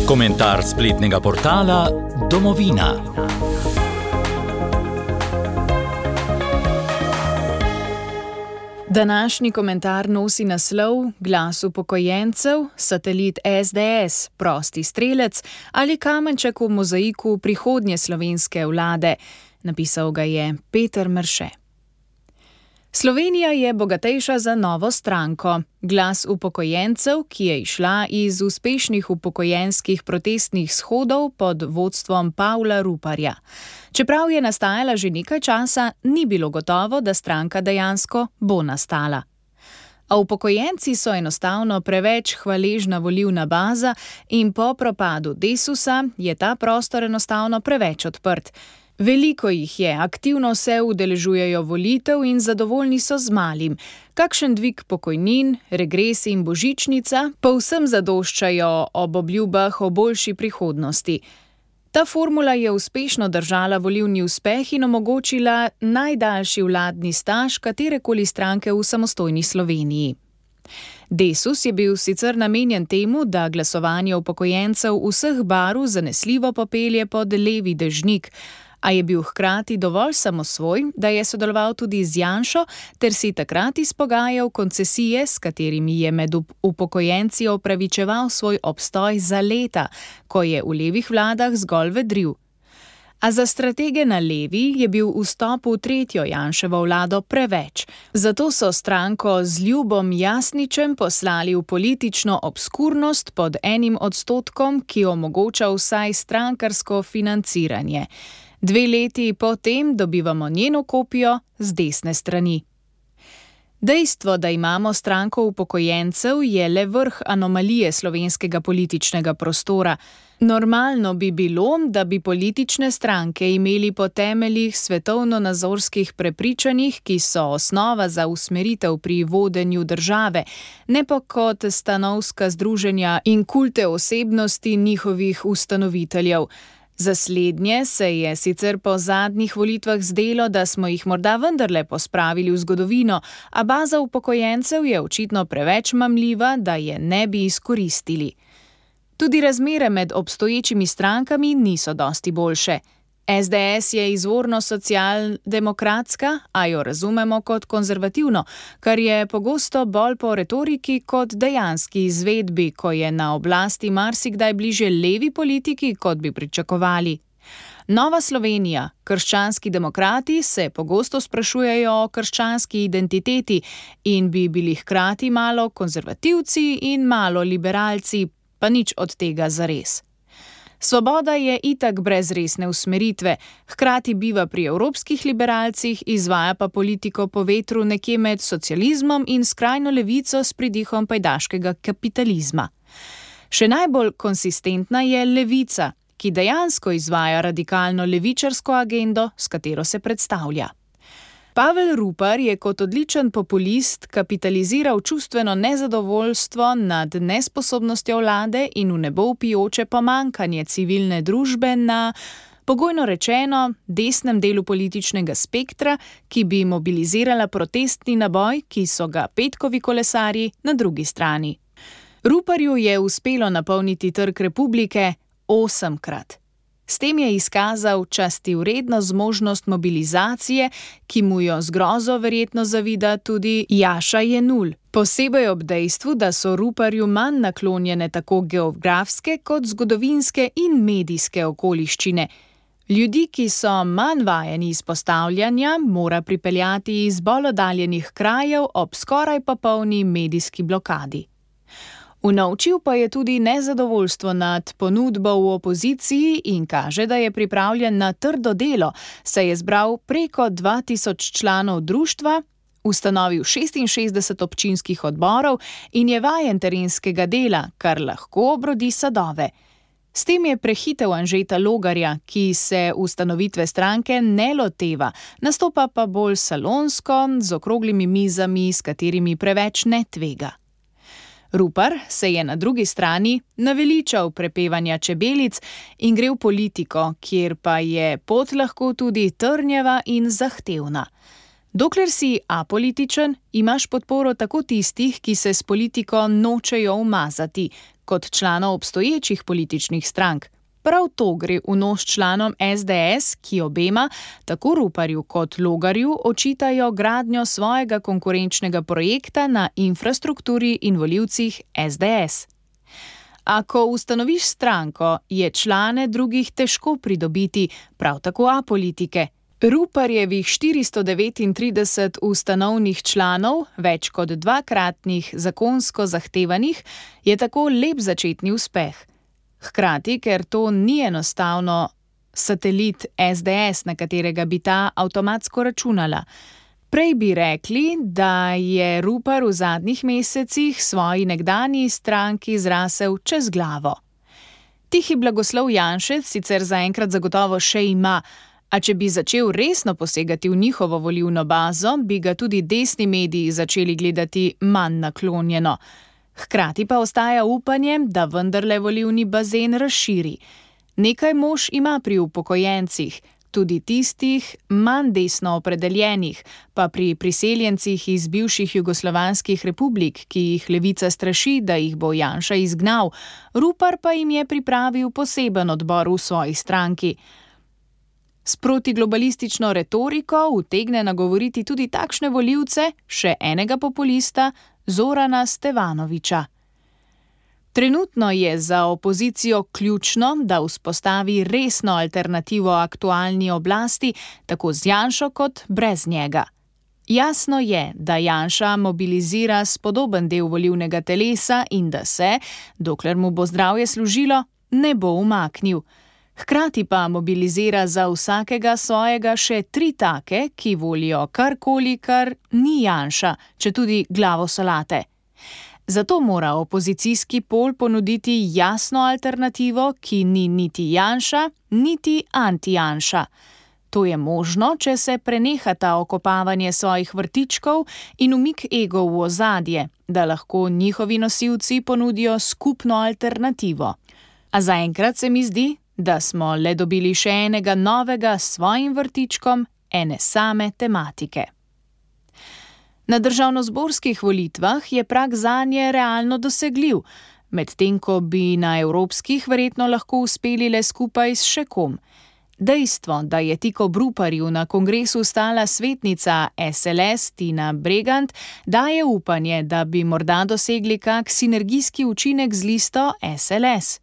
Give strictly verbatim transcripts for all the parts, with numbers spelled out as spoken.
Komentar spletnega portala Domovina. Današnji komentar nosi naslov Glas upokojencev, satelit es de es, prosti strelec ali kamenček v mozaiku prihodnje slovenske vlade. Napisal ga je Peter Mrše. Slovenija je bogatejša za novo stranko. Glas upokojencev, ki je izšla iz uspešnih upokojenskih protestnih shodov pod vodstvom Pavla Ruparja. Čeprav je nastajala že nekaj časa, ni bilo gotovo, da stranka dejansko bo nastala. A upokojenci so enostavno preveč hvaležna volilna baza in po propadu Desusa je ta prostor enostavno preveč odprt. Veliko jih je, aktivno se udeležujejo volitev in zadovoljni so z malim. Kakšen dvig pokojnin, regres in božičnica povsem zadoščajo ob obljubah o boljši prihodnosti. Ta formula je uspešno držala volilni uspeh in omogočila najdaljši vladni staž katerekoli stranke v samostojni Sloveniji. Desus je bil sicer namenjen temu, da glasovanje upokojencev vseh barv zanesljivo popelje pod levi dežnik, a je bil hkrati dovolj samosvoj, da je sodeloval tudi z Janšo ter si takrat izpogajal koncesije, s katerimi je med upokojenci opravičeval svoj obstoj za leta, ko je v levih vladah zgolj vedril. A za stratege na levi je bil vstop v tretjo Janševo vlado preveč. Zato so stranko z Ljubom Jasničem poslali v politično obskurnost pod enim odstotkom, ki omogoča vsaj strankarsko financiranje. Dve leti potem dobivamo njeno kopijo z desne strani. Dejstvo, da imamo stranko upokojencev, je le vrh anomalije slovenskega političnega prostora. Normalno bi bilo, da bi politične stranke imeli po temeljih svetovno-nazorskih prepričanjih, ki so osnova za usmeritev pri vodenju države, ne pa kot stanovska združenja in kulte osebnosti njihovih ustanoviteljev. Za slednje se je sicer po zadnjih volitvah zdelo, da smo jih morda vendarle pospravili v zgodovino, a baza upokojencev je očitno preveč mamljiva, da je ne bi izkoristili. Tudi razmere med obstoječimi strankami niso dosti boljše. es de es je izvorno socialdemokratska, a jo razumemo kot konzervativno, kar je pogosto bolj po retoriki kot dejanski izvedbi, ko je na oblasti marsikdaj bliže levi politiki, kot bi pričakovali. Nova Slovenija, krščanski demokrati se pogosto sprašujejo o krščanski identiteti in bi bili hkrati malo konzervativci in malo liberalci, pa nič od tega zares. Svoboda je itak brez resne usmeritve, hkrati biva pri evropskih liberalcih, izvaja pa politiko po vetru nekje med socializmom in skrajno levico s pridihom pajdaškega kapitalizma. Še najbolj konsistentna je levica, ki dejansko izvaja radikalno levičarsko agendo, s katero se predstavlja. Pavel Rupar je kot odličen populist kapitaliziral čustveno nezadovoljstvo nad nesposobnostjo vlade in v nebo vpijoče pomankanje civilne družbe na, pogojno rečeno, desnem delu političnega spektra, ki bi mobilizirala protestni naboj, ki so ga petkovi kolesarji na drugi strani. Ruparju je uspelo napolniti Trg Republike osemkrat. S tem je izkazal častivredno zmožnost mobilizacije, ki mu jo z grozo verjetno zavida tudi Jaša Jenull, posebej ob dejstvu, da so Ruparju manj naklonjene tako geografske kot zgodovinske in medijske okoliščine. Ljudi, ki so manj vajeni izpostavljanja, mora pripeljati iz bolj oddaljenih krajev ob skoraj popolni medijski blokadi. Unovčil pa je tudi nezadovoljstvo nad ponudbo v opoziciji in kaže, da je pripravljen na trdo delo, saj je zbral preko dva tisoč članov društva, ustanovil šestinšestdeset občinskih odborov in je vajen terenskega dela, kar lahko obrodi sadove. S tem je prehitel Anžeta Logarja, ki se ustanovitve stranke ne loteva, nastopa pa bolj salonsko, z okroglimi mizami, s katerimi preveč ne tvega. Rupar se je na drugi strani naveličal prepevanja čebelic in gre v politiko, kjer pa je pot lahko tudi trnjava in zahtevna. Dokler si apolitičen, imaš podporo tako tistih, ki se s politiko nočejo umazati, kot članov obstoječih političnih strank. Prav to gre v nos članom es de es, ki obema, tako Ruparju kot Logarju, očitajo gradnjo svojega konkurenčnega projekta na infrastrukturi in volivcih es de es. A ko ustanoviš stranko, je člane drugih težko pridobiti, prav tako apolitike. Ruparjevih štiristo devetintrideset ustanovnih članov, več kot dvakratnih zakonsko zahtevanih, je tako lep začetni uspeh. Hkrati, ker to ni enostavno satelit es de es, na katerega bi ta avtomatsko računala. Prej bi rekli, da je Rupar v zadnjih mesecih svoji nekdanji stranki zrasel čez glavo. Tihi blagoslov Janšec sicer zaenkrat zagotovo še ima, a če bi začel resno posegati v njihovo volilno bazo, bi ga tudi desni mediji začeli gledati manj naklonjeno. Hkrati pa ostaja upanje, da vendarle volilni bazen razširi. Nekaj mož ima pri upokojencih, tudi tistih manj desno opredeljenih, pa pri priseljencih iz bivših jugoslovanskih republik, ki jih levica straši, da jih bo Janša izgnal. Rupar pa jim je pripravil poseben odbor v svoji stranki. S protiglobalistično retoriko utegne nagovoriti tudi takšne volivce, še enega populista, Zorana Stevanovića. Trenutno je za opozicijo ključno, da vzpostavi resno alternativo aktualni oblasti, tako z Janšo kot brez njega. Jasno je, da Janša mobilizira spodoben del volilnega telesa in da se, dokler mu bo zdravje služilo, ne bo umaknil. Hkrati pa mobilizira za vsakega svojega še tri take, ki volijo karkoli, kar ni Janša, četudi glavo solate. Zato mora opozicijski pol ponuditi jasno alternativo, ki ni niti Janša, niti anti-Janša. To je možno, če se prenehata okopavanje svojih vrtičkov in umik egov v ozadje, da lahko njihovi nosilci ponudijo skupno alternativo. A zaenkrat se mi zdi, da smo le dobili še enega novega s svojim vrtičkom ene same tematike. Na državnozborskih volitvah je prag zanje realno dosegljiv, medtem ko bi na evropskih verjetno lahko uspeli le skupaj s še kom. Dejstvo, da je tik ob Ruparju na kongresu stala svetnica es el es Tina Bregant, daje upanje, da bi morda dosegli kak sinergijski učinek z listo es el es.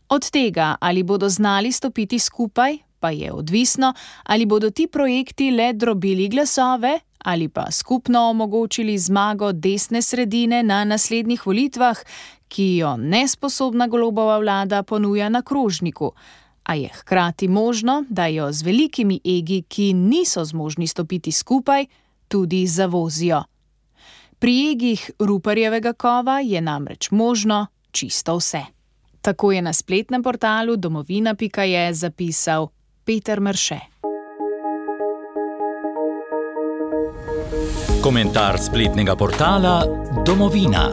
Od tega, ali bodo znali stopiti skupaj, pa je odvisno, ali bodo ti projekti le drobili glasove ali pa skupno omogočili zmago desne sredine na naslednjih volitvah, ki jo nesposobna Golobova vlada ponuja na krožniku. A je hkrati možno, da jo z velikimi egi, ki niso zmožni stopiti skupaj, tudi zavozijo. Pri egih Ruparjevega kova je namreč možno čisto vse. Tako je na spletnem portalu domovina pika je zapisal Peter Mrše. Komentar spletnega portala Domovina.